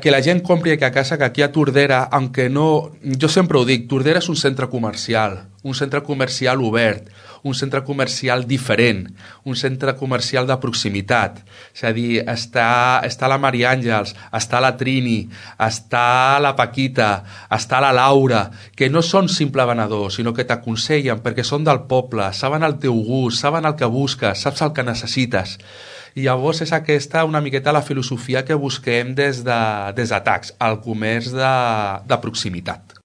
que la gent compri aquí a casa, que aquí a Tordera, aunque no... Jo sempre ho dic, Tordera és un centre comercial obert, un centre comercial diferent, un centre comercial de proximitat. És a dir, està la Maria Àngels, està la Trini, està la Paquita, està la Laura, que no són simple venedors, sinó que t'aconsellen perquè són del poble, saben el teu gust, saben el que busques, saps el que necessites. I llavors és aquesta una miqueta la filosofia que busquem des de TACS, el comerç de proximitat.